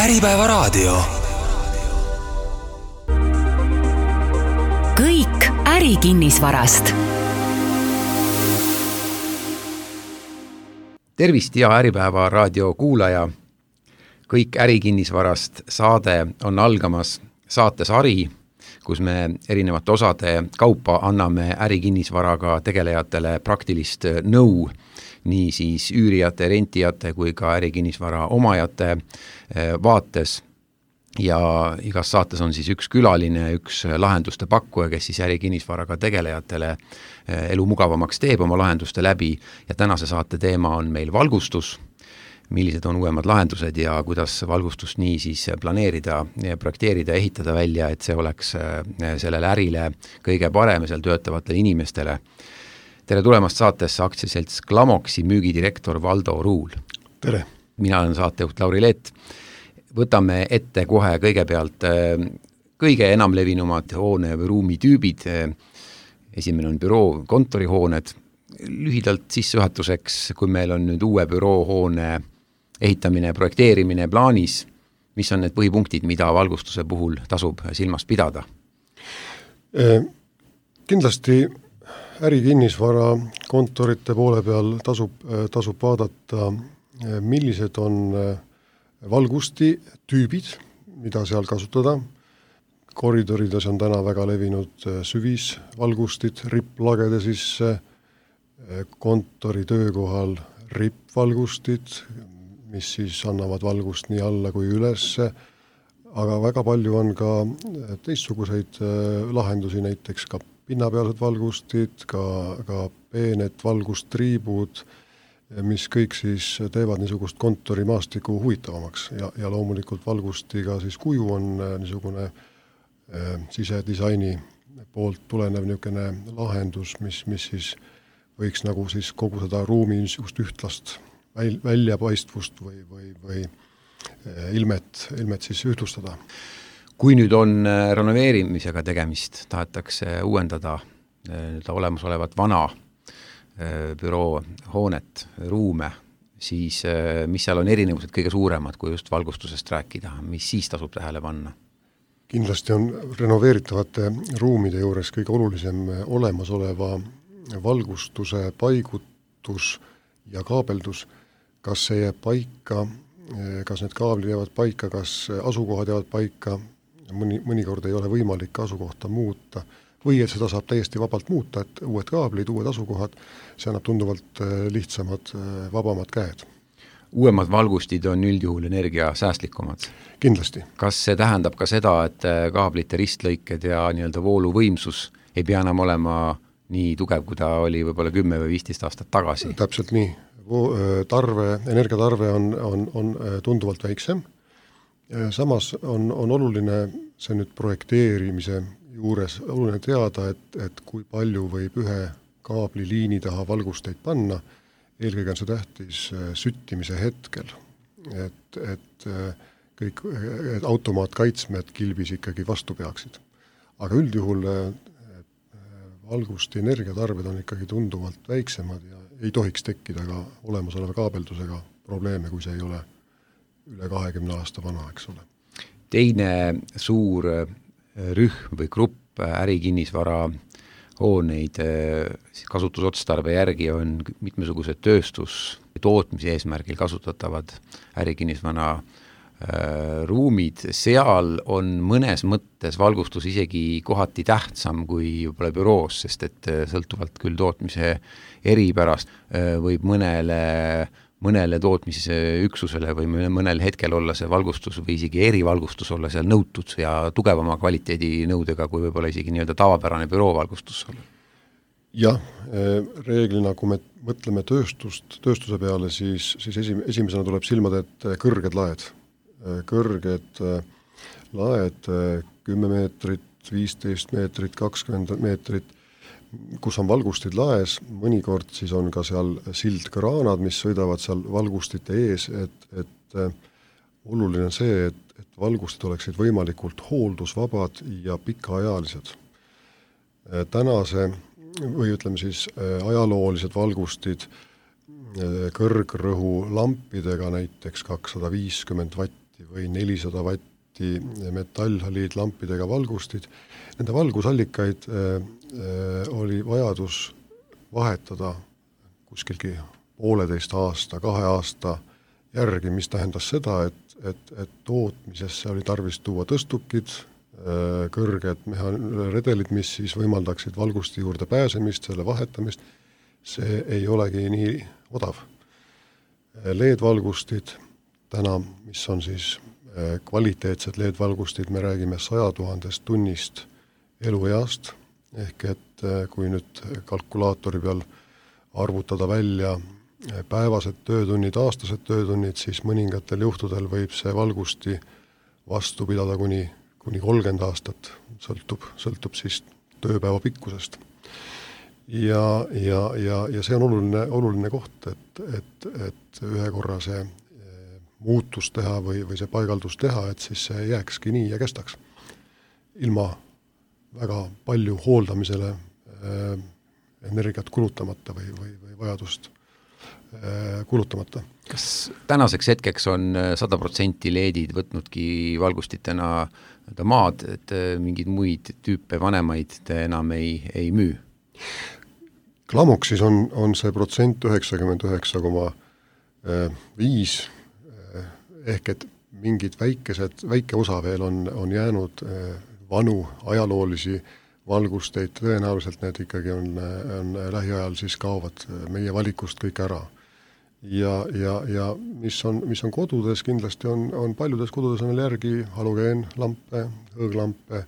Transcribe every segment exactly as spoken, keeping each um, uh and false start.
Äripäevaraadio. Kõik ärikinnisvarast. Tervist ja Äripäeva raadio kuulaja. Kõik ärikinnisvarast saade on algamas saates Ari, kus me erinevate osade kaupa anname ärikinnisvaraga tegelejatele praktilist nõu, nii siis üürijate, rentijate kui ka ärikinnisvara omajate vaates. Ja igas saates on siis üks külaline, üks lahenduste pakkuja, kes siis ärikinnisvaraga tegelejatele elu mugavamaks teeb oma lahenduste läbi. Ja tänase saate teema on meil valgustus, millised on uuemad lahendused ja kuidas valgustust nii siis planeerida, projekteerida, ehitada välja, et see oleks sellele ärile kõige parem ja seal töötavatele inimestele. Tere tulemast saatesse aktsiaselts Glamoxi müügidirektor Valdo Ruul. Tere. Mina olen saatejuht Lauri Leet. Võtame ette kohe kõigepealt kõige enam levinumad hoone või ruumi tüübid. Esimene on büroo, kontorihooned. Lühidalt sissejuhatuseks, kui meil on nüüd uue büroohoone ehitamine, projekteerimine plaanis, mis on need põhipunktid, mida valgustuse puhul tasub silmas pidada? Kindlasti ärikinnisvara kontorite poole peal tasub, tasub vaadata, millised on valgusti tüübid, mida seal kasutada. Koridorides on täna väga levinud süvisvalgustid, ripplagede sisse, kontori töökohal rippvalgustid, mis siis annavad valgust nii alla kui ülesse, aga väga palju on ka teistsuguseid lahendusi, näiteks ka pinnapealsed valgustid, ka, ka peened valgustriibud, mis kõik siis teevad niisugust kontorimaastiku huvitavamaks ja, ja loomulikult valgustiga siis kuju on niisugune äh, sisedisaini poolt tulenev niisugune lahendus, mis, mis siis võiks nagu siis kogu seda ruumi niisugust ühtlast väl, väljapaistvust või, või, või äh, ilmet, ilmet siis ühtlustada. Kui nüüd on renoveerimisega tegemist, tahetakse uuendada äh, olemasolevat vana büroo hoonet, ruume, siis mis seal on erinevused kõige suuremad, kui just valgustusest rääkida, mis siis tasub tähele panna? Kindlasti on renoveeritavate ruumide juures kõige olulisem olemasoleva valgustuse paigutus ja kaabeldus, kas see jääb paika, kas need kaablid jäävad paika, kas asukohad jäävad paika, mõni, mõnikord ei ole võimalik asukohta muuta, või et seda saab täiesti vabalt muuta, et uued kaablid, uued asukohad, see annab tunduvalt lihtsamad, vabamad käed. Uuemad valgustid on üldjuhul energia säästlikumad. Kindlasti. Kas see tähendab ka seda, et kaablite ristlõiked ja nii-öelda vooluvõimsus ei pea enam olema nii tugev, kui ta oli võib-olla kümme või viisteist aastat tagasi? Täpselt nii. Tarve, energiatarve on, on, on tunduvalt väiksem. Samas on, on oluline see nüüd projekteerimise juures oluline teada, et, et kui palju võib ühe kaabliliini taha valgusteid panna, eelkõige on see tähtis süttimise hetkel, et, et kõik et automaatkaitsmed kilbis ikkagi vastu peaksid. Aga üldjuhul valgusti energiatarved on ikkagi tunduvalt väiksemad ja ei tohiks tekkida ka olemasoleva kaabeldusega probleeme, kui see ei ole üle kahekümne aasta vana, eks ole. Teine suur rühm või grupp ärikinnisvara hooneid kasutusotstarbe järgi on mitmesugused tööstus- tootmise eesmärgil kasutatavad ärikinnisvara ruumid. Seal on mõnes mõttes valgustus isegi kohati tähtsam kui võib-olla büroos, sest et sõltuvalt küll tootmise eripärast võib mõnele mõnele tootmisüksusele või mõnel hetkel olla see valgustus või isegi erivalgustus olla seal nõutud ja tugevama kvaliteedi nõudega kui võib-olla isegi nii-öelda tavapärane büroovalgustus olla. Jah, reeglina, kui me mõtleme tööstust, tööstuse peale, siis, siis esim, esimesena tuleb silmad, et kõrged laed. Kõrged laed, kümme meetrit, viisteist meetrit, kakskümmend meetrit, kus on valgustid laes, mõnikord siis on ka seal sildkraanad, mis sõidavad seal valgustite ees, et, et oluline on see, et, et valgustid oleksid võimalikult hooldusvabad ja pikaajalised. Tänase või ütleme siis ajaloolised valgustid kõrgrõhu lampidega, näiteks kakssada viiskümmend vatti vatti või nelisada vatti metallhaliidlampidega valgustid. Nende valgusallikaid äh, äh, oli vajadus vahetada kuskilgi pooleteist aasta, kahe aasta järgi, mis tähendas seda, et, et, et tootmisesse oli tarvis tuua tõstukid, kõrged meha- redelid, mis siis võimaldaksid valgusti juurde pääsemist, selle vahetamist, see ei olegi nii odav. L E D-valgustid täna, mis on siis kvaliteetsed L E D-valgustid, me räägime saja tuhandest tunnist elueast, ehk et kui nüüd kalkulaatori peal arvutada välja päevased töötunnid, aastased töötunnid, siis mõningatel juhtudel võib see valgusti vastu pidada kuni kuni kolmkümmend aastat, sõltub, sõltub siis tööpäeva pikkusest. Ja, ja, ja, ja see on oluline, oluline koht, et, et, et ühe korra see muutus teha või, või see paigaldus teha, et siis see jääkski nii ja kestaks. Ilma väga palju hooldamisele äh, energiat kulutamata või, või, või vajadust äh, kulutamata. Kas tänaseks hetkeks on sada protsenti L E D-id võtnudki valgustitena maad, et mingeid muid tüüpe vanemaid te enam ei, ei müü? Klamoxis on, on see protsent üheksakümmend üheksa koma viis ehk et mingid väikesed, väike osa veel on, on jäänud vanu ajaloolisi valgusteid, tõenäoliselt need ikkagi on, on lähiajal siis kaovad meie valikust kõik ära. Ja, ja, ja mis on, mis on kodudes, kindlasti on, on paljudes kodudes on veel järgi halogeenlampe, hõõglampe,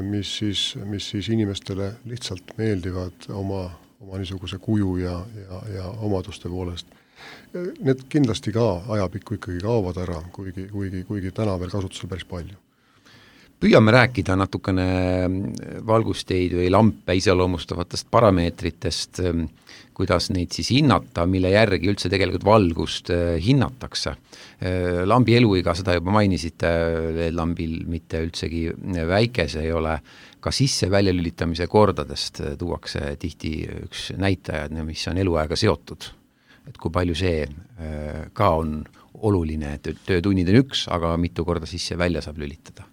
mis siis, mis siis inimestele lihtsalt meeldivad oma, oma niisuguse kuju ja, ja, ja omaduste poolest. Need kindlasti ka ajapikku ikkagi kaovad ära, kuigi, kuigi, kuigi täna veel kasutusel päris palju. Püüame rääkida natukene valgusteid või lampe iseloomustavatest parameetritest, kuidas neid siis hinnata, mille järgi üldse tegelikult valgust hinnatakse. Lambi eluiga, seda juba mainisite, lambil mitte üldsegi väike, see ei ole, ka sisse väljalülitamise kordadest tuuakse tihti üks näitaja, mis on eluaega seotud. Et kui palju see ka on oluline, et töötunnid on üks, aga mitu korda sisse välja saab lülitada.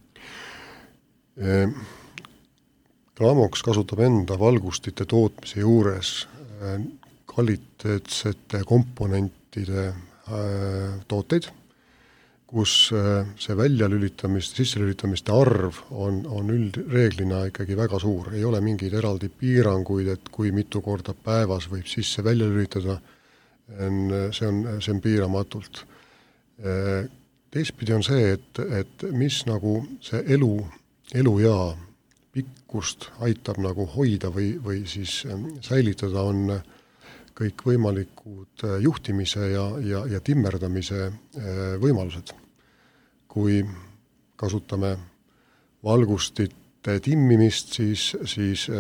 Klamox kasutab enda valgustite tootmise juures kvaliteetsete komponentide tooteid, kus see väljalülitamist, sisselülitamiste arv on, on üldreeglina ikkagi väga suur. Ei ole mingeid eraldi piiranguid, et kui mitu korda päevas võib sisse välja lülitada, see on, see on piiramatult. Teistpidi on see, et, et mis nagu see elu elujaa pikkust aitab nagu hoida või, või siis säilitada on kõik võimalikud juhtimise ja, ja, ja timmerdamise võimalused. Kui kasutame valgustite timmimist, siis, siis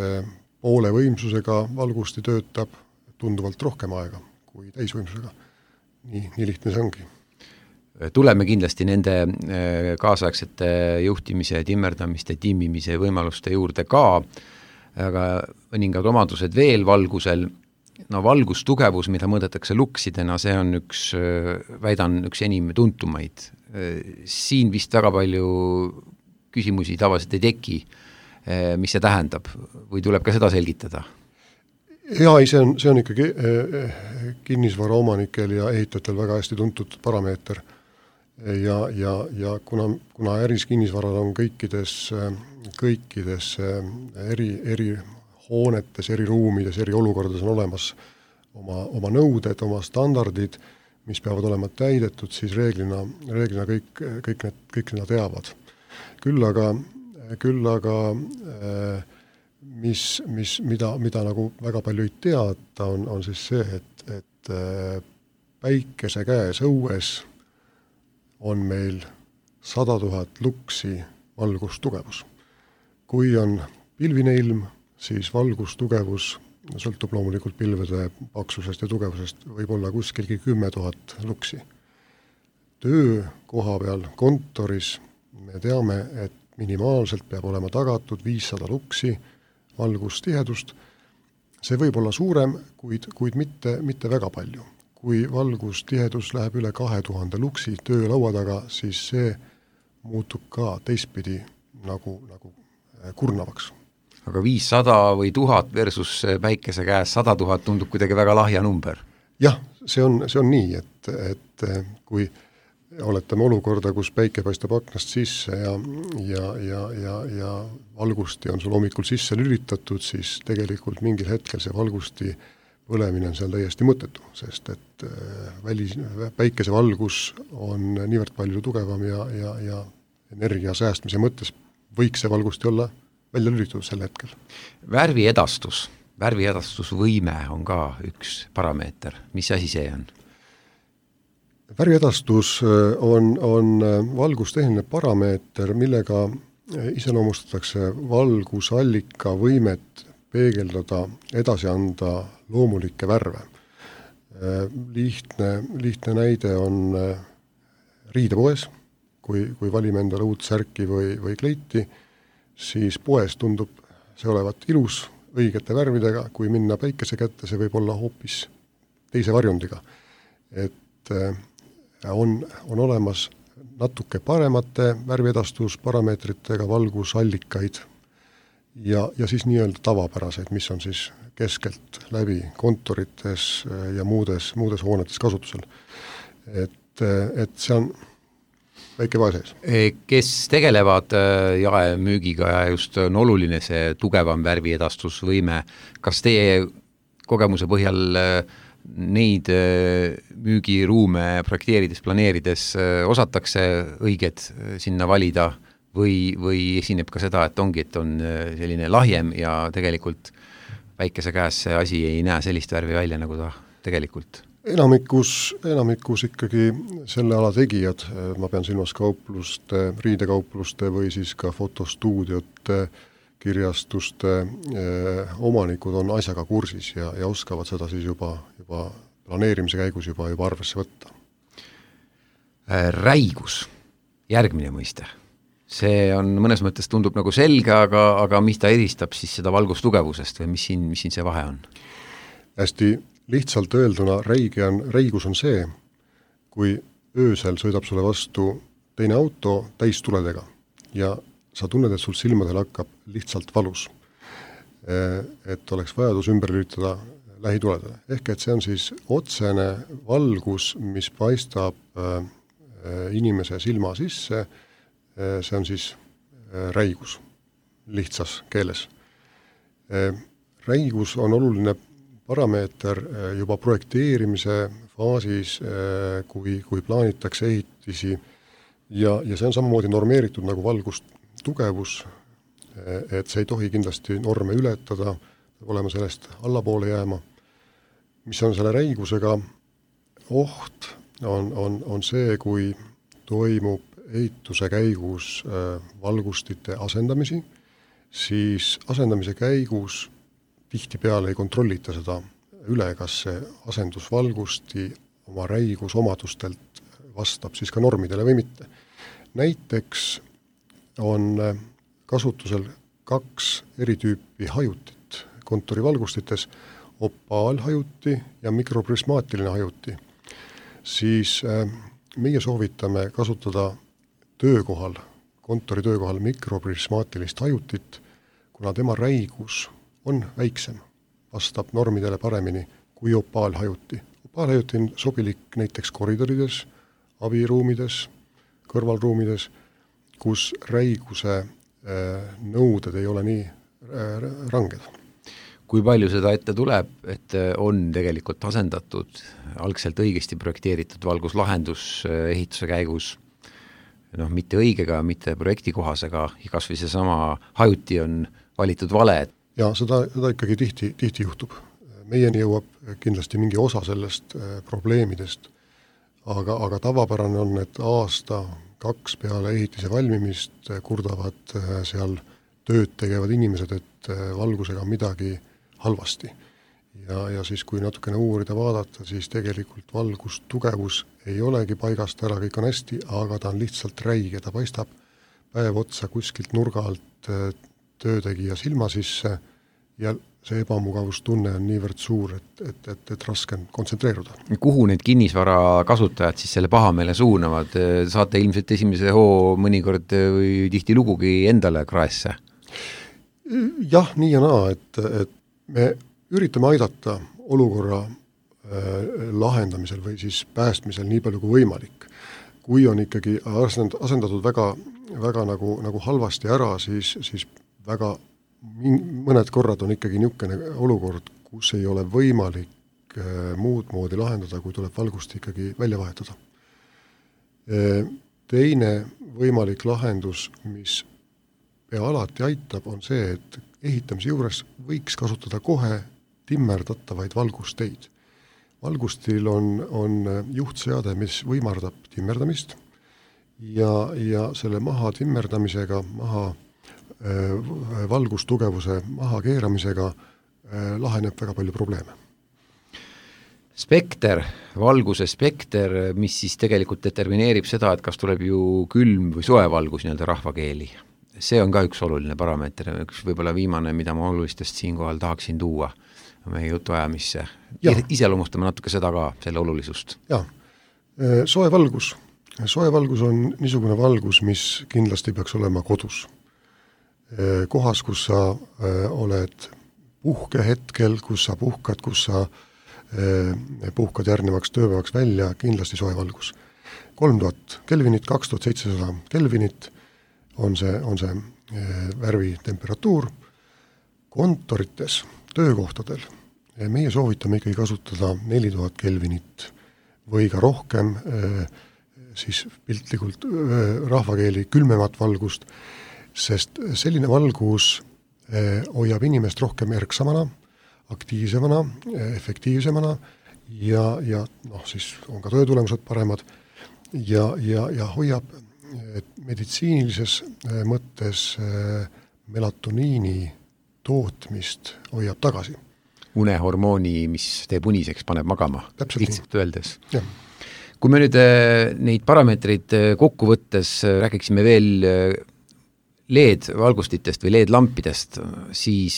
poole võimsusega valgusti töötab tunduvalt rohkem aega kui täisvõimsusega. Nii, nii lihtne see ongi. Tuleme kindlasti nende kaasaegsete juhtimise, timmerdamiste, timmimise võimaluste juurde ka, aga mõningad omadused veel valgusel. No valgustugevus, mida mõõdetakse luksidena, see on üks, väidan, üks enim tuntumaid. Siin vist väga palju küsimusi tavaliselt ei teki, mis see tähendab, või tuleb ka seda selgitada? Ja, see on, see on ikkagi kinnisvara omanikel ja ehitajatel väga hästi tuntud parameeter. Ja, ja, ja kuna, kuna äris kinnisvarad on kõikides, kõikides eri, eri hoonetes, eri ruumides, eri olukordades on olemas oma, oma nõuded, oma standardid, mis peavad olema täidetud, siis reeglina, reeglina kõik, kõik, need, kõik need teavad. Küll aga, küll aga mis, mis, mida, mida nagu väga palju ei teata, on, on siis see, et, et päikese käes õues on meil sada tuhat luksi valgustugevus. Kui on pilvine ilm, siis valgustugevus sõltub loomulikult pilvede paksusest ja tugevusest, võib olla kuskilgi kümme tuhat luksi. Töö koha peal kontoris me teame, et minimaalselt peab olema tagatud viissada luksi valgustihedust. See võib olla suurem, kuid, kuid mitte, mitte väga palju. kui valgustihedus läheb üle kahe tuhande luksi töölaua taga, siis see muutub ka teistpidi nagu, nagu kurnavaks. Aga viissada või tuhat versus päikese käes sada tuhat tundub kuidagi väga lahja number. Jah, see on, see on nii, et, et kui oletame olukorda, kus päike paistab aknast sisse ja, ja, ja, ja, ja valgusti on sul hommikul sisse lülitatud, siis tegelikult mingil hetkel see valgusti põlemine on seal täiesti mõttetu, sest et välis, päikese valgus on niivõrd palju tugevam ja, ja, ja energia säästmise mõttes võiks see valgusti olla välja lülitatud sel hetkel. Värvi edastus, värvi edastusvõime on ka üks parameeter. Mis asi see on? Värvi edastus on, on valgustehniline parameeter, millega iseloomustatakse valgusallika võimet peegeldada, edasi anda loomulikke värve. Lihtne, lihtne näide on riidepoes, kui, kui valime endale uut särki või, või kleiti, siis poes tundub see olevat ilus, õigete värvidega, kui minna päikese kätte, see võib olla hoopis teise varjundiga. Et on, on olemas natuke paremate värviedastusparameetritega valgusallikaid ja, ja siis nii-öelda tavapäraseid, mis on siis keskelt läbi kontorites ja muudes, muudes hoonetes kasutusel. Et, et see on väike vahe sees. Kes tegelevad jaemüügiga ja just on oluline see tugevam värviedastusvõime, kas teie kogemuse põhjal neid müügiruume projekteerides, planeerides osatakse õiged sinna valida või, või esineb ka seda, et ongi, et on selline lahjem ja tegelikult väikese käes see asi ei näe sellist värvi välja, nagu ta tegelikult? Enamikus, enamikus ikkagi selle ala tegijad, ma pean silmas kaupluste, riidekaupluste või siis ka fotostuudiote, kirjastuste eh, omanikud on asjaga kursis ja, ja oskavad seda siis juba, juba planeerimise käigus juba, juba arvesse võtta. Räigus, järgmine mõiste. See on mõnes mõttes tundub nagu selge, aga, aga mis ta eristab siis seda valgustugevusest või mis siin, mis siin see vahe on? Hästi lihtsalt öelduna räige on, räigus on see, kui öösel sõidab sulle vastu teine auto täistuledega ja sa tunned, et sul silmadel hakkab lihtsalt valus. Et oleks vajadus ümber lülitada lähituledele. Ehk et see on siis otsene valgus, mis paistab inimese silma sisse, see on siis räigus lihtsas keeles. Räigus on oluline parameeter juba projekteerimise faasis, kui, kui plaanitakse ehitisi ja, ja see on samamoodi normeeritud nagu valgust tugevus, et see ei tohi kindlasti norme ületada, olema sellest allapoole jääma. Mis on selle räigusega oht, on, on, on see, kui toimub ehituse käigus valgustite asendamisi, siis asendamise käigus tihtipeale ei kontrollita seda üle, kas see asendusvalgusti oma räigusomadustelt vastab siis ka normidele või mitte. Näiteks on kasutusel kaks eri tüüpi hajutit kontorivalgustites, opaalhajuti ja mikroprismaatiline hajuti. Siis meie soovitame kasutada töökohal, kontori töökohal mikroprismaatilist hajutit, kuna tema räigus on väiksem, vastab normidele paremini kui opaalhajuti. Opaalhajuti on sobilik näiteks koridorides, abiruumides, kõrvalruumides, kus räiguse nõuded ei ole nii ranged. Kui palju seda ette tuleb, et on tegelikult asendatud algselt õigesti projekteeritud valguslahendus ehituse käigus, noh, mitte õigega, mitte projektikohasega, kas või see sama hajuti on valitud vale? Ja seda, seda ikkagi tihti, tihti juhtub. Meieni jõuab kindlasti mingi osa sellest probleemidest, aga, aga tavapärane on, et aasta kaks peale ehitise valmimist kurdavad seal tööd tegevad inimesed, et valgusega midagi halvasti. Ja, ja siis, kui natukene uurida vaadata, siis tegelikult valgustugevus ei olegi paigast ära, kõik on hästi, aga ta on lihtsalt räige, ta paistab päev otsa kuskilt nurga alt töötegija silma sisse ja see ebamugavustunne on niivõrd suur, et, et, et, et raske on kontsentreeruda. Kuhu need kinnisvara kasutajad siis selle pahameele suunavad? Saate ilmselt esimese hoo mõnikord või tihti lugugi endale kraesse? Jah, nii ja naa, et, et me üritame aidata olukorra äh, lahendamisel või siis päästmisel nii palju kui võimalik. Kui on ikkagi asendatud väga, väga nagu, nagu halvasti ära, siis, siis väga mõned korrad on ikkagi niisugune olukord, kus ei ole võimalik muud moodi lahendada, kui tuleb valgust ikkagi välja vahetada. Teine võimalik lahendus, mis pea alati aitab, on see, et ehitamise juures võiks kasutada kohe timmerdatavaid valgusteid. Valgustil on, on juhtseade, mis võimardab timmerdamist ja, ja selle maha timmerdamisega, maha valgustugevuse maha keeramisega laheneb väga palju probleeme. Spekter, valguse spekter, mis siis tegelikult determineerib seda, et kas tuleb ju külm või soe valgus nii-öelda rahvakeeli. See on ka üks oluline parameeter, üks võib-olla viimane, mida ma olulistest siinkohal tahaksin tuua meie jutuajamisse. Iseloomustame natuke seda ka, selle olulisust. Jaa, soe valgus. Soe valgus on niisugune valgus, mis kindlasti peaks olema kodus. Kohas, kus sa oled puhkehetkel, kus sa puhkad, kus sa puhkad järgnevaks tööpäevaks välja, kindlasti soe valgus. kolm tuhat kelvinit, kaks tuhat seitsesada kelvinit on see, on see värvi temperatuur. Kontorites, töökohtadel meie soovitame ikkagi kasutada neli tuhat kelvinit või ka rohkem, siis piltlikult rahvakeeli külmemat valgust, sest selline valgus hoiab inimest rohkem erksamana, aktiivsemana, efektiivsemana ja, ja noh, siis on ka töötulemused paremad ja, ja, ja hoiab meditsiinilises mõttes melatoniini tootmist hoiab tagasi. Unehormooni, mis teeb uniseks, paneb magama. Lihtsalt öeldes. Ja. Kui me nüüd neid parameetreid kokku võttes räägiksime veel L E D-valgustitest või L E D-lampidest, siis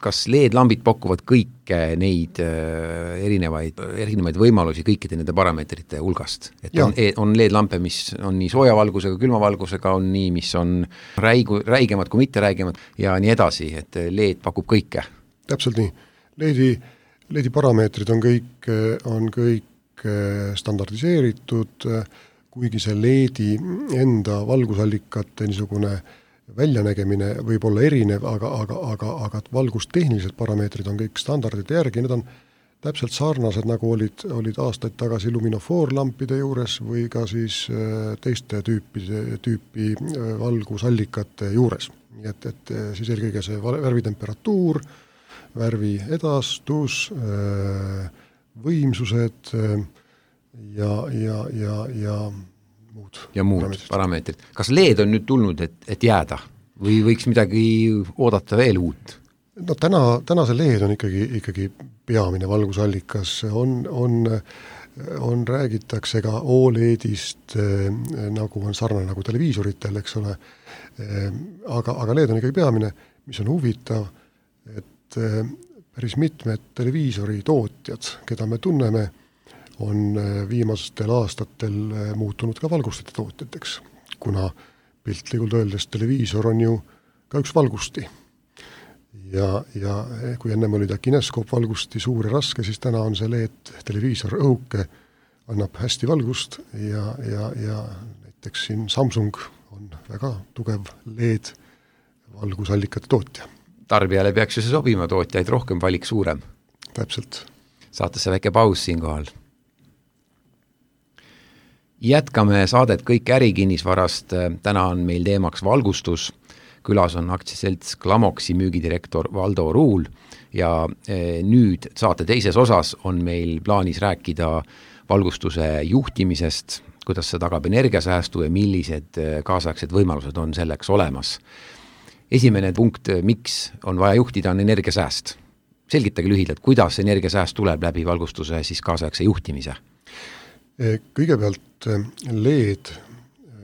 kas L E D-lambid pakuvad kõike neid erinevaid, erinevaid võimalusi kõikide nende parameetrite hulgast? Et on, on L E D-lampe, mis on nii sooja valgusega, külma valgusega, on nii, mis on räigu, räigemad kui mitte räigemad ja nii edasi, et L E D pakub kõike. Täpselt nii. L E D-i, L E D-i parameetrid on kõik, on kõik standardiseeritud, kuigi see L E D-i enda valgusallikate niisugune väljanägemine võib olla erinev, aga, aga, aga, aga valgustehnilised parameetrid on kõik standardite järgi, need on täpselt sarnased, nagu olid, olid aastaid tagasi luminofoorlampide juures või ka siis teiste tüüpi, tüüpi valgusallikate juures. Nii et, et siis eelkõige see värvitemperatuur, värvi edastus, võimsused ja, ja, ja, ja muud. Ja muud parameetrid. parameetrid. Kas L E D on nüüd tulnud, et, et jääda või võiks midagi oodata veel uut? No täna, täna see L E D on ikkagi, ikkagi peamine valgusallikas, on, on, on räägitakse ka O L E D-ist, nagu on sarnane nagu televiisoritel, eks ole, aga, aga L E D on ikkagi peamine, mis on huvitav, et päris mitmed televiisori tootjad, keda me tunneme, on viimastel aastatel muutunud ka valgustite tootjateks, kuna piltlikult öeldes televiisor on ju ka üks valgusti. Ja, ja kui ennem oli ta kineskoopvalgusti suur ja raske, siis täna on see L E D televiisor õhuke, annab hästi valgust ja, ja, ja näiteks siin Samsung on väga tugev L E D valgusallikate tootja. Tarbijale peaks ju see sobima, tootjaid rohkem, valik suurem. Täpselt. Saatesse väike paus siinkohal. Jätkame saadet kõik ärikinnisvarast. Täna on meil teemaks valgustus. Külas on aktsiaselts Glamoxi müügidirektor Valdo Ruul ja nüüd saate teises osas on meil plaanis rääkida valgustuse juhtimisest, kuidas see tagab energiasäästu ja millised kaasaegsed võimalused on selleks olemas. Esimene punkt, miks on vaja juhtida, on energiasääst. Selgitage lühidalt, kuidas energiasääst tuleb läbi valgustuse siis kaasaegse juhtimise? Kõigepealt L E D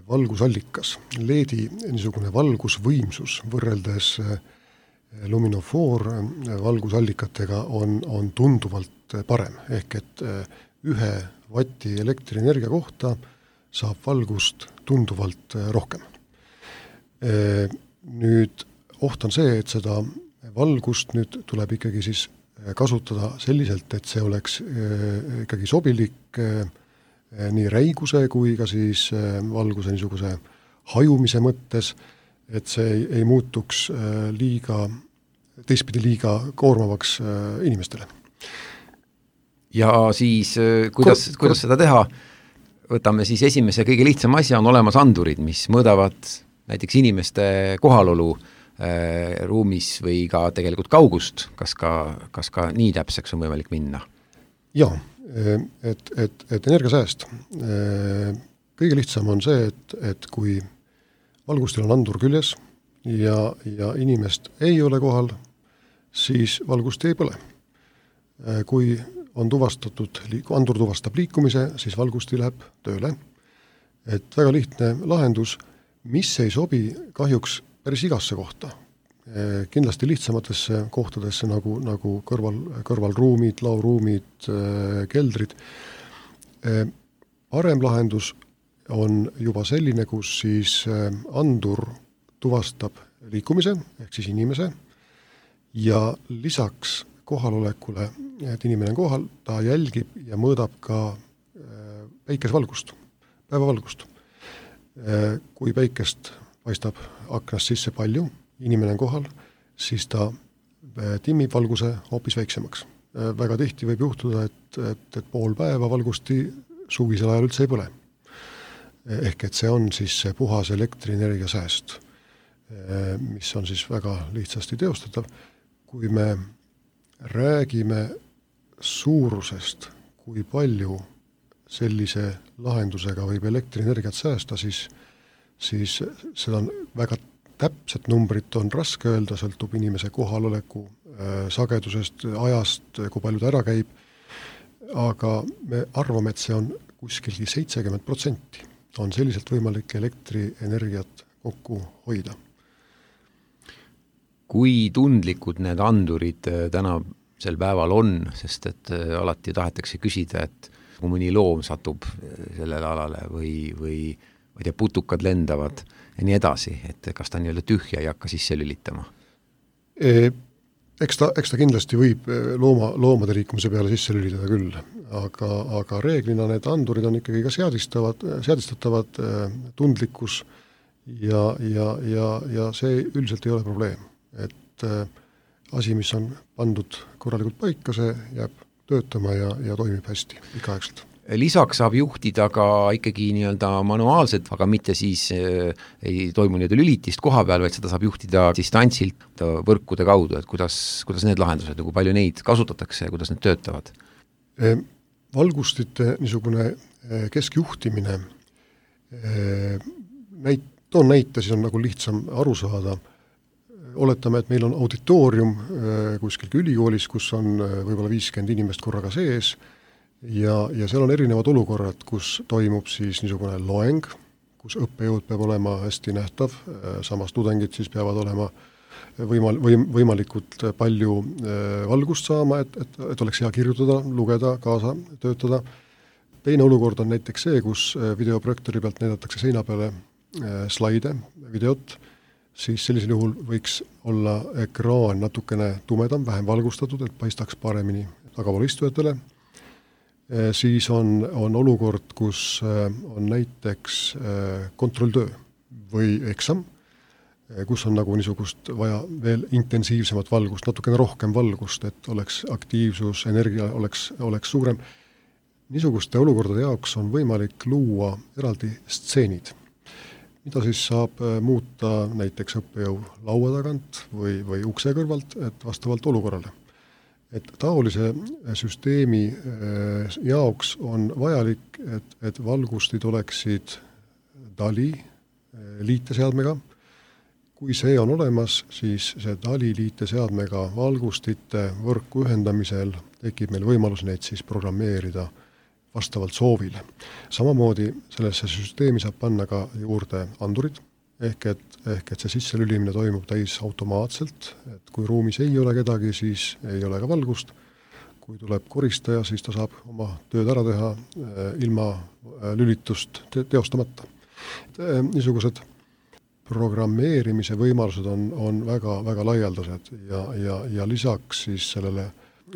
valgusallikas, L E D-i niisugune valgusvõimsus võrreldes luminofoor valgusallikatega on, on tunduvalt parem, ehk et ühe vatti elektrienergia kohta saab valgust tunduvalt rohkem. Nüüd oht on see, et seda valgust nüüd tuleb ikkagi siis kasutada selliselt, et see oleks ikkagi sobilik nii räiguse kui ka siis valguse niisuguse hajumise mõttes, et see ei, ei muutuks liiga, teistpidi liiga koormavaks inimestele. Ja siis kuidas, Ko- kuidas seda teha? Võtame siis esimese kõige lihtsama asja, on olemas andurid, mis mõõdavad näiteks inimeste kohalolu äh, ruumis või ka tegelikult kaugust, kas ka, kas ka nii täpseks on võimalik minna? Jaa, et, et, et energiasääst. Kõige lihtsam on see, et, et kui valgustil on andur küljes ja, ja inimest ei ole kohal, siis valgust ei põle. Kui on tuvastatud, andur tuvastab liikumise, siis valgusti läheb tööle. Et väga lihtne lahendus, mis ei sobi kahjuks päris igasse kohta. Kindlasti lihtsamatesse kohtadesse nagu, nagu kõrval, kõrvalruumid, lauruumid, keldrid. Parem lahendus on juba selline, kus siis andur tuvastab liikumise, ehk siis inimese, ja lisaks kohalolekule, et inimene on kohal, ta jälgib ja mõõdab ka päikesevalgust, päevavalgust. Kui päikest paistab aknast sisse palju, inimene on kohal, siis ta timmib valguse hoopis väiksemaks. Väga tihti võib juhtuda, et, et, et pool päeva valgusti suvisel ajal üldse ei põle. Ehk et see on siis see puhas elektrienergia sääst, mis on siis väga lihtsasti teostatav. Kui me räägime suurusest, kui palju sellise lahendusega võib elektrienergiat säästa, siis, siis seda on väga täpset numbrit on raske öelda, sõltub inimese kohaloleku äh, sagedusest, ajast, kui palju ta ära käib, aga me arvame, et see on kuskilgi seitsekümmend protsenti on selliselt võimalik elektrienergiat kokku hoida. Kui tundlikud need andurid tänasel päeval on, sest et alati tahetakse küsida, et kui mõni loom satub sellele alale või, või ma ei tea, putukad lendavad ja nii edasi, et kas ta nii-öelda tühja ei hakka sisse lülitama? E, eks, ta, eks ta kindlasti võib looma, loomade liikumise peale sisse lülitada küll, aga, aga reeglina need andurid on ikkagi ka seadistavad, seadistatavad tundlikkus ja, ja, ja, ja see üldiselt ei ole probleem. Et äh, asi, mis on pandud korralikult paika, see jääb töötama ja, ja toimib hästi pikaaegselt. Lisaks saab juhtida ka ikkagi nii-öelda manuaalselt, aga mitte siis äh, ei toimu nii-öelda lülitist koha peal, vaid seda saab juhtida distantsilt võrkude kaudu, et kuidas, kuidas need lahendused, kui palju neid kasutatakse ja kuidas need töötavad? E, valgustite niisugune e, keskjuhtimine, e, näit, toon näite, siis on nagu lihtsam aru saada. Oletame, et meil on auditoorium kuskil ülikoolis, kus on võib-olla viiskümmend inimest korraga sees ja, ja seal on erinevad olukorrad, kus toimub siis niisugune loeng, kus õppejõud peab olema hästi nähtav, samas tudengid siis peavad olema võimal, võim, võimalikult palju valgust saama, et, et, et oleks hea kirjutada, lugeda, kaasa töötada. Teine olukord on näiteks see, kus videoprojektori pealt näidatakse seina peale slaide, videot, siis sellisel juhul võiks olla ekraan natukene tumedam, vähem valgustatud, et paistaks paremini tagapool istujatele. E, siis on, on olukord, kus on näiteks kontrolltöö või eksam, kus on nagu niisugust vaja veel intensiivsemat valgust, natukene rohkem valgust, et oleks aktiivsus, energia oleks, oleks suurem. Niisuguste olukordade jaoks on võimalik luua eraldi stseenid, mida siis saab muuta näiteks õppejõu laua tagant või, või ukse kõrvalt, et vastavalt olukorrale. Et taolise süsteemi jaoks on vajalik, et, et valgustid oleksid DALI liiteseadmega. Kui see on olemas, siis see DALI liiteseadmega valgustite võrku ühendamisel tekib meil võimalus neid siis programmeerida vastavalt soovile. Samamoodi sellesse süsteemi saab panna ka juurde andurid, ehk et, ehk et see sisselülimine toimub täis automaatselt, et kui ruumis ei ole kedagi, siis ei ole ka valgust. Kui tuleb koristaja, siis ta saab oma tööd ära teha ilma lülitust teostamata. Niisugused programmeerimise võimalused on, on väga, väga laialdased ja, ja, ja lisaks siis sellele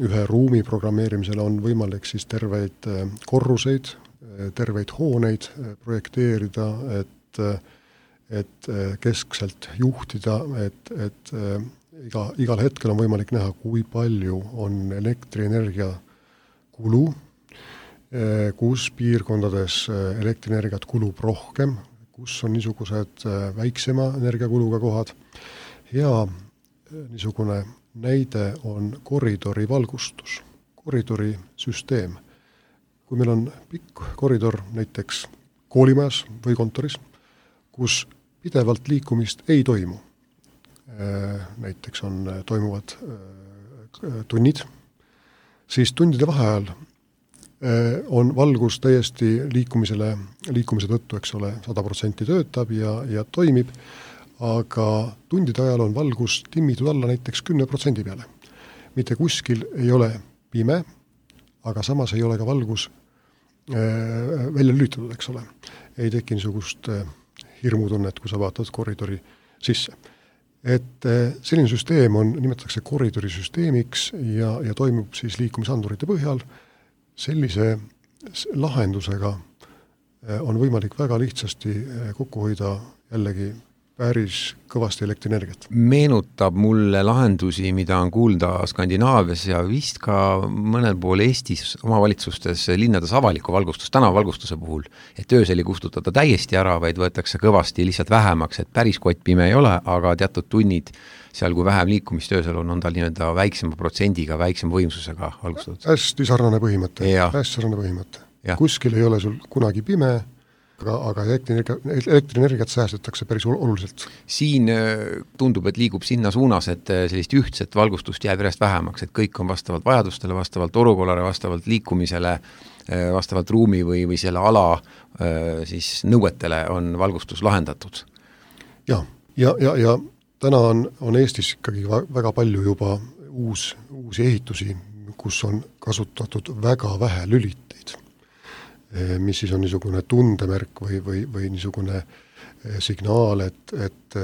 ühe ruumi programmeerimisele on võimalik siis terveid korruseid, terveid hooneid projekteerida, et, et keskselt juhtida, et, et iga, igal hetkel on võimalik näha, kui palju on elektrienergia kulu, kus piirkondades elektrienergiat kulub rohkem, kus on niisugused väiksema energiakuluga kohad. Hea niisugune näide on koridori valgustus, koridori süsteem. Kui meil on pikk koridor näiteks koolimajas või kontoris, kus pidevalt liikumist ei toimu, näiteks on, toimuvad tunnid, siis tundide vaheajal on valgus täiesti liikumisele, liikumise tõttu, eks ole, sada protsenti töötab ja, ja toimib, aga tundide ajal on valgus timmitud alla näiteks kümne protsendi peale. Mitte kuskil ei ole pime, aga samas ei ole ka valgus äh, välja lülitatud, eks ole. Ei teki niisugust äh, hirmutunnet, kui sa vaatad koridori sisse. Et äh, selline süsteem on, nimetatakse koridorisüsteemiks ja, ja toimub siis liikumisandurite põhjal. Sellise lahendusega on võimalik väga lihtsasti kokku hoida jällegi päris kõvasti elektrienergiat. Meenutab mulle lahendusi, mida on kuulda Skandinaavias ja vist ka mõnel pool Eestis omavalitsustes linnades avaliku valgustus, tänavavalgustuse puhul, et öösel ei kustutada täiesti ära, vaid võetakse kõvasti lihtsalt vähemaks, et päris kottpime ei ole, aga teatud tunnid seal, kui vähem liikumist öösel on, on tal nii-öelda väiksema protsendiga, väiksema võimsusega valgustatud. Hästi sarnane põhimõte, hästi sarnane põhimõte. Ja. Kuskil ei ole sul kunagi pime, aga, aga elektrienergia, elektrienergiat säästetakse päris oluliselt. Siin tundub, et liigub sinna suunas, et sellist ühtset valgustust jääb järjest vähemaks, et kõik on vastavalt vajadustele, vastavalt olukorrale, vastavalt liikumisele, vastavalt ruumi või, või selle ala siis nõuetele on valgustus lahendatud. Ja, ja, ja, ja täna on, on Eestis ikkagi väga palju juba uus, uusi ehitusi, kus on kasutatud väga vähe lüliteid, mis siis on niisugune tundemärk või, või, või niisugune signaal, et, et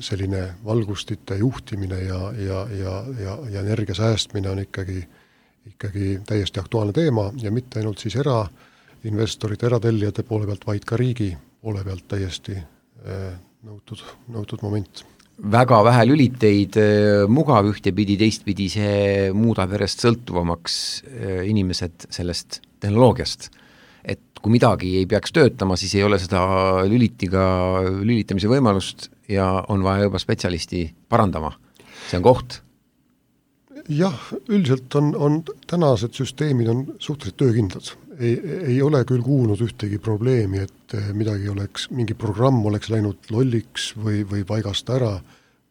selline valgustite juhtimine ja, ja, ja, ja, ja energia säästmine on ikkagi, ikkagi täiesti aktuaalne teema ja mitte ainult siis erainvestorite, eratellijate poole pealt, vaid ka riigi poole pealt täiesti nõutud, nõutud moment. Väga vähe lüliteid, mugav ühtepidi, teistpidi see muudab järjest sõltuvamaks inimesed sellest tehnoloogiast. Et kui midagi ei peaks töötama, siis ei ole seda lülitiga lülitamise võimalust ja on vaja juba spetsialisti parandama. See on koht. Jah, üldiselt on, on tänased süsteemid on suhteliselt töökindlad. Ei, ei ole küll kuulnud ühtegi probleemi, et midagi oleks, mingi programm oleks läinud lolliks või, või paigast ära.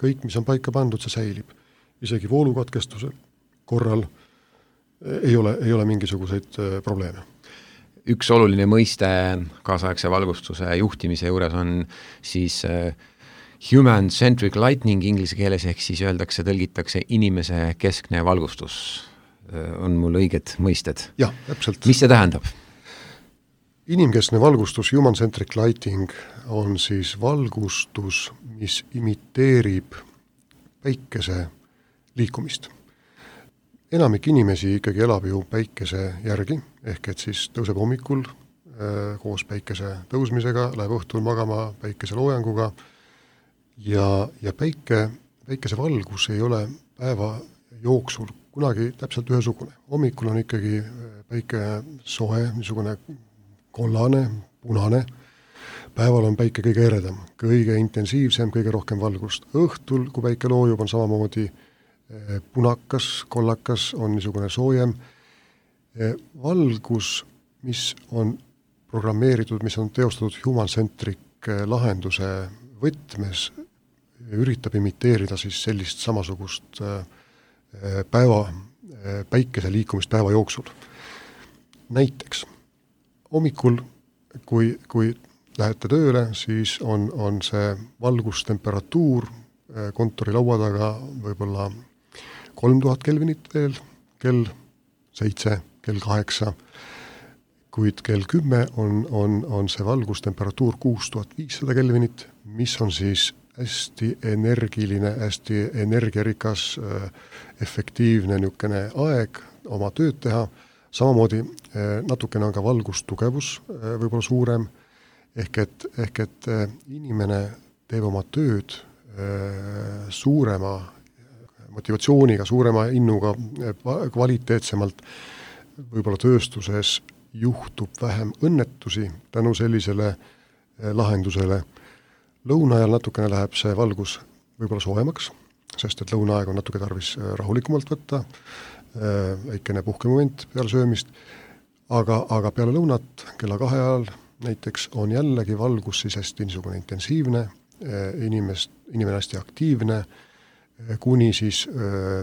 Kõik, mis on paika pandud, see säilib. Isegi voolukatkestuse korral ei ole, ei ole mingisuguseid probleeme. Üks oluline mõiste kaasaegse valgustuse juhtimise juures on siis human-centric lighting inglise keeles, ehk siis öeldakse, tõlgitakse inimese keskne valgustus. On mul õiged mõisted? Jah, täpselt. Mis see tähendab? Inimkeskne valgustus, human-centric lighting, on siis valgustus, mis imiteerib päikese liikumist. Enamik inimesi ikkagi elab ju päikese järgi, ehk et siis tõuseb hommikul äh, koos päikese tõusmisega, läheb õhtul magama päikese loojanguga ja, ja päike, päikese valgus ei ole päeva jooksul kunagi täpselt ühesugune. Hommikul on ikkagi päike soe, niisugune kollane, punane. Päeval on päike kõige eredam, kõige intensiivsem, kõige rohkem valgust. Õhtul, kui päike loojub, on samamoodi punakas, kollakas, on niisugune soojem. Valgus, mis on programmeeritud, mis on teostatud human-centric lahenduse võtmes, üritab imiteerida siis sellist samasugust päeva, päikese liikumist päeva jooksul. Näiteks hommikul, kui, kui lähete tööle, siis on, on see valgustemperatuur kontori laua taga võib-olla kolm tuhat kelvinit veel, kell seitse, kell kaheksa, kuid kell kümme on, on, on see valgustemperatuur kuus tuhat viissada kelvinit, mis on siis hästi energiline, hästi energiarikas, efektiivne niisugune aeg oma tööd teha. Samamoodi natukene on ka valgustugevus võib-olla suurem, ehk et, ehk et inimene teeb oma tööd suurema motivatsiooniga, suurema innuga, kvaliteetsemalt, võib-olla tööstuses juhtub vähem õnnetusi tänu sellisele lahendusele. Lõuna ajal natukene läheb see valgus võib-olla soojemaks, sest et lõunaaeg on natuke tarvis rahulikumalt võtta, väikene puhkemoment peale söömist, aga, aga peale lõunat kella kahe ajal näiteks on jällegi valgus siis hästi niisugune intensiivne, inimest, inimene hästi aktiivne, kuni siis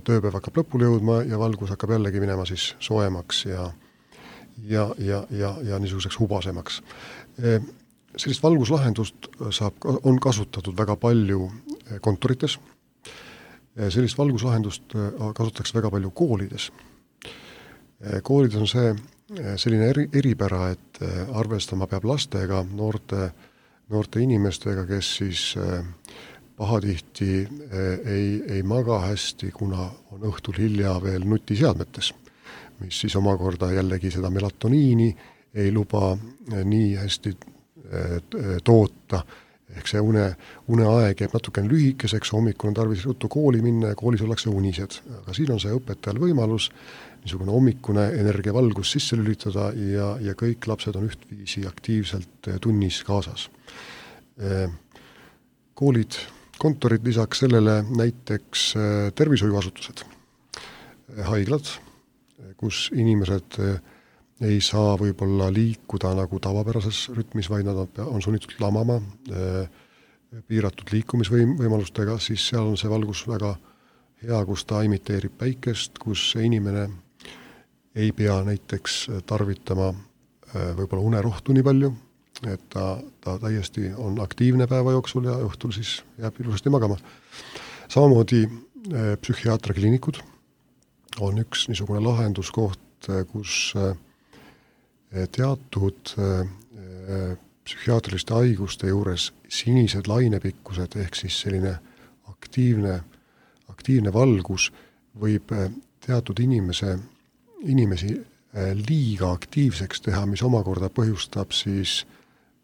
tööpäev hakkab lõpule jõudma ja valgus hakkab jällegi minema siis soojemaks ja, ja, ja, ja, ja niisuguseks hubasemaks. Sellist valguslahendust saab, on kasutatud väga palju kontorites. Sellist valguslahendust kasutatakse väga palju koolides. Koolides on see selline eri, eripära, et arvestama peab lastega, noorte, noorte inimestega, kes siis pahatihti ei, ei maga hästi, kuna on õhtul hilja veel nutiseadmetes, mis siis omakorda jällegi seda melatoniini ei luba nii hästi toota, ehk see une, uneaeg jääb natukene lühikeseks, hommikul on tarvis ruttu kooli minna ja koolis ollakse unised. Aga siin on see õpetajal võimalus niisugune hommikune energiavalgus sisse lülitada ja, ja kõik lapsed on ühtviisi aktiivselt tunnis kaasas. Koolid, kontorid lisaks sellele näiteks tervishoiuasutused, haiglad, kus inimesed ei saa võib-olla liikuda nagu tavapärases rütmis, vaid nad on sunnitud lamama piiratud liikumisvõimalustega, siis seal on see valgus väga hea, kus ta imiteerib päikest, kus inimene ei pea näiteks tarvitama võib-olla unerohtu nii palju, et ta, ta täiesti on aktiivne päeva jooksul ja õhtul siis jääb ilusasti magama. Samamoodi psühhiaatrakliinikud on üks niisugune lahenduskoht, kus teatud psühhiaatriliste haiguste juures sinised lainepikkused ehk siis selline aktiivne, aktiivne valgus võib teatud inimese, inimesi liiga aktiivseks teha, mis omakorda põhjustab siis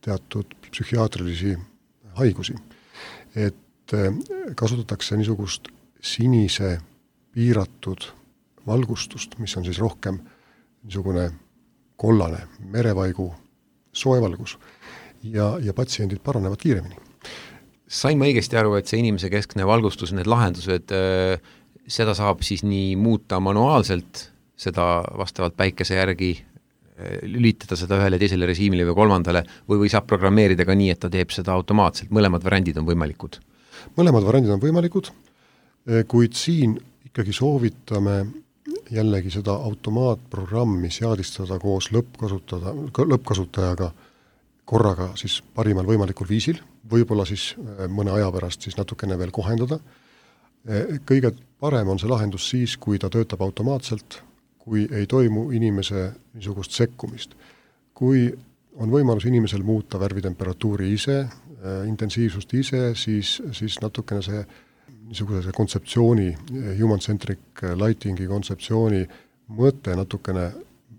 teatud psühhiaatrilisi haigusi. Et kasutatakse niisugust sinise piiratud valgustust, mis on siis rohkem niisugune kollane, merevaigu soevalgus ja, ja patsiendid paranevad kiiremini. Sain ma õigesti aru, et see inimese keskne valgustus, need lahendused, seda saab siis nii muuta manuaalselt, seda vastavalt päikese järgi, lülitada seda ühele teisele režiimile või kolmandale, või, või saab programmeerida ka nii, et ta teeb seda automaatselt, mõlemad variandid on võimalikud? Mõlemad variandid on võimalikud, kuid siin ikkagi soovitame jällegi seda automaatprogrammi seadistada koos lõppkasutada, lõppkasutajaga korraga siis parimal võimalikul viisil, võib-olla siis mõne aja pärast siis natukene veel kohendada. Kõige parem on see lahendus siis, kui ta töötab automaatselt, kui ei toimu inimese niisugust sekkumist. Kui on võimalus inimesel muuta värvitemperatuuri ise, intensiivsust ise, siis, siis natukene see niisuguse kontseptsiooni, human-centric lightingi kontseptsiooni mõte natukene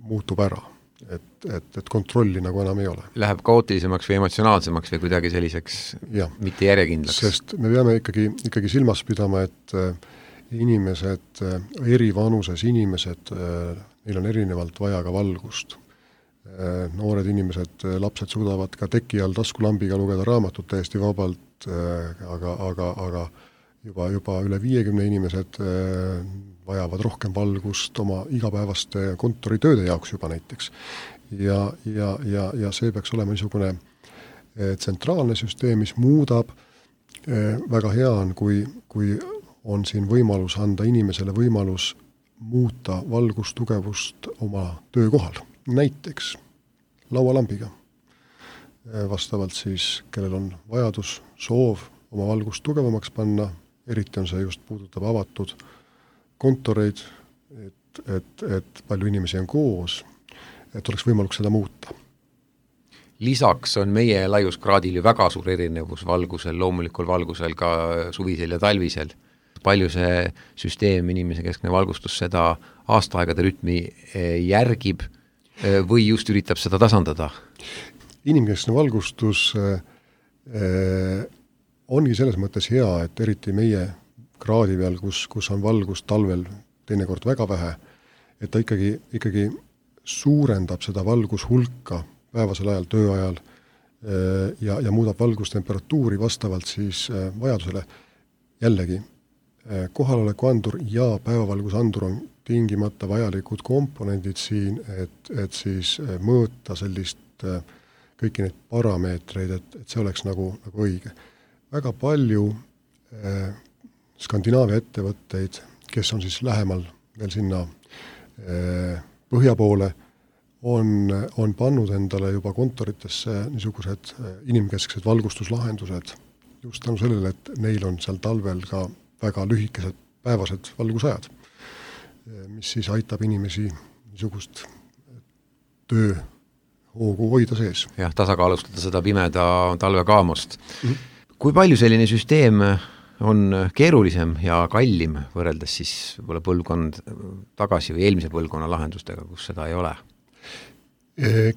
muutub ära, et, et, et kontrolli nagu enam ei ole. Läheb kaootilisemaks või emotsionaalsemaks või kuidagi selliseks ja, mitte järjekindlaks? Sest me peame ikkagi, ikkagi silmas pidama, et inimesed, eri vanuses inimesed, neil on erinevalt vaja ka valgust. Noored inimesed, lapsed suudavad ka teki all taskulambiga lugeda raamatut täiesti vabalt, aga, aga, aga juba, juba üle viiekümne inimesed vajavad rohkem valgust oma igapäevaste kontoritööde jaoks juba näiteks. Ja, ja, ja, ja see peaks olema niisugune tsentraalne süsteem, mis muudab, väga hea on, kui, kui on siin võimalus anda inimesele võimalus muuta valgustugevust oma töökohal, näiteks laualambiga. vastavalt siis, kellel on vajadus, soov oma valgust tugevamaks panna, eriti on see just puudutab avatud kontoreid, et, et, et palju inimesi on koos, et oleks võimalik seda muuta. Lisaks on meie laiuskraadil ju väga suur erinevus valgusel, loomulikul valgusel ka suvisel ja talvisel. Palju see süsteem, inimese keskne valgustus seda aastaaegade rütmi järgib või just üritab seda tasandada? Inimkeskne valgustus äh, ongi selles mõttes hea, et eriti meie kraadi peal, kus, kus on valgust talvel teinekord väga vähe, et ta ikkagi, ikkagi suurendab seda valgushulka päevasel ajal, tööajal äh, ja, ja muudab valgustemperatuuri vastavalt siis äh, vajadusele. Jällegi, äh, kohaloleku andur ja päevavalgusandur on tingimata vajalikud komponendid siin, et, et siis äh, mõõta sellist äh, kõiki neid parameetreid, et, et see oleks nagu, nagu õige. Väga palju eh, Skandinaavia ettevõtteid, kes on siis lähemal veel sinna eh, põhja poole, on, on pannud endale juba kontoritesse niisugused eh, inimkesksed valgustuslahendused just tänu sellele, et neil on seal talvel ka väga lühikesed päevased valgusajad, eh, mis siis aitab inimesi niisugust töö hoogu hoida sees. Jah, tasakaalustada seda pimeda talvekaamost. Mm-hmm. Kui palju selline süsteem on keerulisem ja kallim võrreldes siis võib-olla põlvkond tagasi või eelmise põlvkonna lahendustega, kus seda ei ole?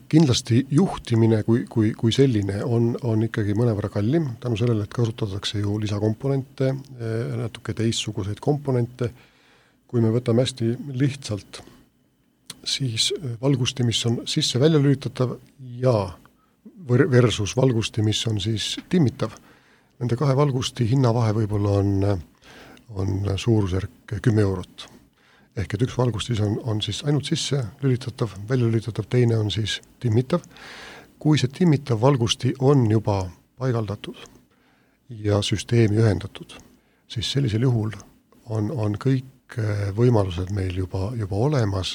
Kindlasti juhtimine kui, kui, kui selline on, on ikkagi mõnevõrra kallim, tänu sellele, et kasutatakse ju lisakomponente, natuke teistsuguseid komponente. Kui me võtame hästi lihtsalt siis valgusti, mis on sisse välja lülitatav ja versus valgusti, mis on siis timmitav. Nende kahe valgusti hinnavahe võib-olla on, on suurusjärk kümme eurot. Ehk et üks valgustis on, on siis ainult sisse lülitatav, välja lülitatav, teine on siis timmitav. Kui see timmitav valgusti on juba paigaldatud ja süsteemi ühendatud, siis sellisel juhul on, on kõik võimalused meil juba, juba olemas,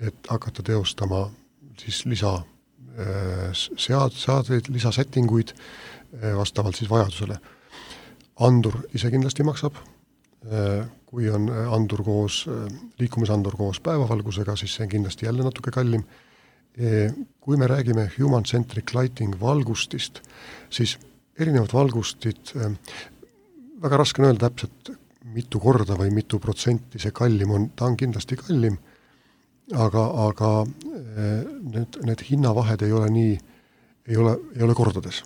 et hakata teostama siis lisa sead, seadeid, lisasettinguid vastavalt siis vajadusele. Andur ise kindlasti maksab, kui on andur koos, liikumisandur koos päevavalgusega, siis see on kindlasti jälle natuke kallim. Kui me räägime human-centric lighting valgustist, siis erinevad valgustid, väga raske on öelda täpselt mitu korda või mitu protsenti see kallim on, ta on kindlasti kallim, aga, aga need, need hinnavahed ei ole nii, ei ole, ei ole kordades.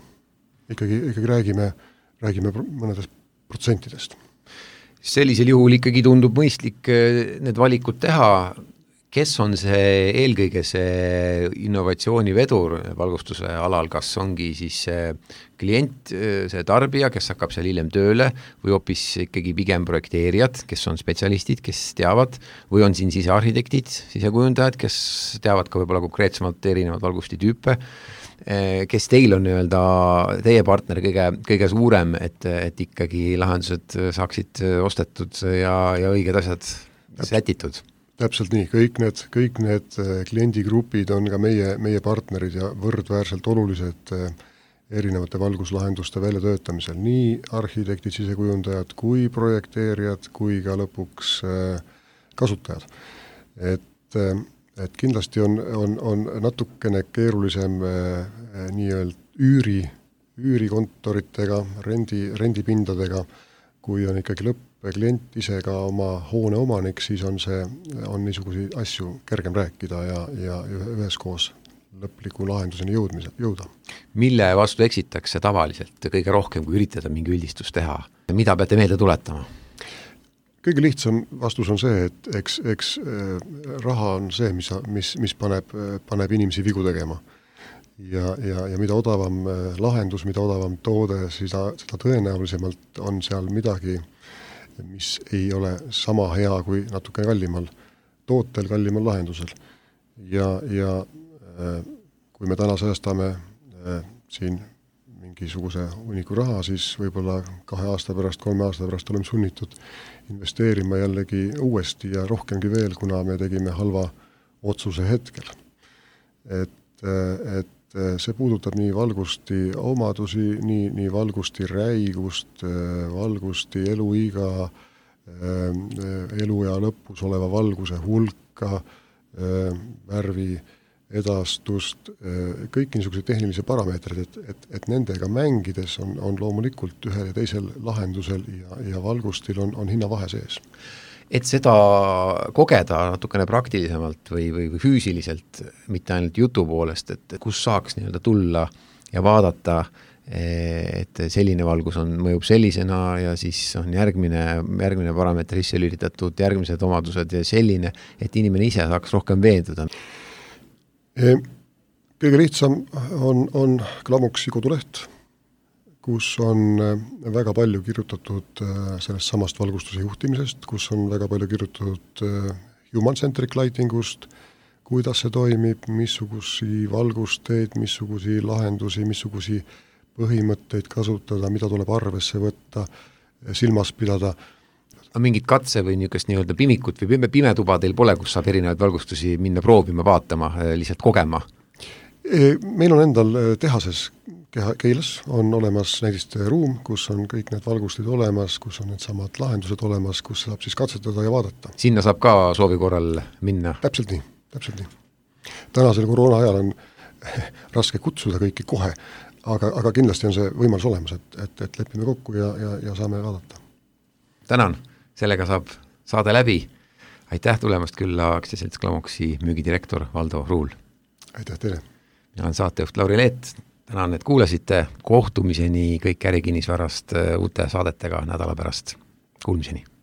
Ikkagi, ikkagi räägime, räägime mõnedest protsentidest. Sellisel juhul ikkagi tundub mõistlik need valikud teha. Kes on see eelkõige see innovatsioonivedur valgustuse alal, kas ongi siis see klient, see tarbija, kes hakkab seal hiljem tööle või hoopis ikkagi pigem projekteerijad, kes on spetsialistid, kes teavad, või on siin sisearhitektid, sisekujundajad, kes teavad ka võib-olla konkreetsemalt erinevad valgustitüüpe, kes teil on öelda teie partner kõige, kõige suurem, et, et ikkagi lahendused saaksid ostetud ja, ja õiged asjad sätitud? Täpselt nii, kõik need, kõik need kliendigrupid on ka meie, meie partnerid ja võrdväärselt olulised erinevate valguslahenduste väljatöötamisel, nii arhitektid, sisekujundajad kui projekteerijad, kui ka lõpuks kasutajad. Et, et kindlasti on, on, on natukene keerulisem nii-öelda üüri, üürikontoritega, rendi, rendipindadega, kui on ikkagi lõpp klient ise ka oma hoone omanik, siis on see, on niisuguseid asju kergem rääkida ja, ja üheskoos lõpliku lahenduseni jõudmise, jõuda. Mille vastu eksitakse tavaliselt kõige rohkem, kui üritada mingi üldistus teha? Mida peate meelde tuletama? Kõige lihtsam vastus on see, et eks, eks raha on see, mis, mis, mis paneb, paneb inimesi vigu tegema. Ja, ja, ja mida odavam lahendus, mida odavam toode, seda, seda tõenäolisemalt on seal midagi, mis ei ole sama hea kui natuke kallimal tootel, kallimal lahendusel. Ja, ja kui me täna säästame siin mingisuguse uniku raha, siis võib-olla kahe aasta pärast, kolme aasta pärast oleme sunnitud investeerima jällegi uuesti ja rohkemgi veel, kuna me tegime halva otsuse hetkel. Et, et see puudutab nii valgusti omadusi, nii, nii valgusti räigust, valgusti eluiga, eluea lõpus oleva valguse hulka, värvi edastust, kõik niisugused tehnilise parameetrid, et, et, et nendega mängides on, on loomulikult ühel ja teisel lahendusel ja, ja valgustil on, on hinnavahe sees. Et seda kogeda natukene praktilisemalt või, või, või füüsiliselt, mitte ainult jutu poolest, et kus saaks nii-öelda tulla ja vaadata, et selline valgus on, mõjub sellisena ja siis on järgmine, järgmine parameeter sisse lülitatud, järgmised omadused ja selline, et inimene ise saaks rohkem veenduda. Kõige lihtsam on, on Glamoxi koduleht, kus on väga palju kirjutatud sellest samast valgustuse juhtimisest, kus on väga palju kirjutatud human-centric lightingust, kuidas see toimib, missugusi valgusteid, missugusi lahendusi, missugusi põhimõtteid kasutada, mida tuleb arvesse võtta, silmas pidada. Mingit katse või niisugust nii-öelda pimikut või pime tuba teil pole, kus saab erinevaid valgustusi minna proovima, vaatama, lihtsalt kogema? Meil on endal tehases Keilas on olemas näidiste ruum, kus on kõik need valgustid olemas, kus on need samad lahendused olemas, kus saab siis katsetada ja vaadata. Sinna saab ka soovi korral minna? Täpselt nii, täpselt nii. Tänasel koroona ajal on raske kutsuda kõiki kohe, aga, aga kindlasti on see võimalus olemas, et, et, et lepime kokku ja, ja, ja saame vaadata. Tänan, sellega saab saade läbi. Aitäh tulemast külla aktsiaselts Glamoxi müügidirektor Valdo Ruul. Aitäh teile. Mina olen saatejuht Lauri Leet. Tänan, et kuulasite. Kohtumiseni kõik ärikinnisvarast uute saadetega nädala pärast. Kuulmiseni.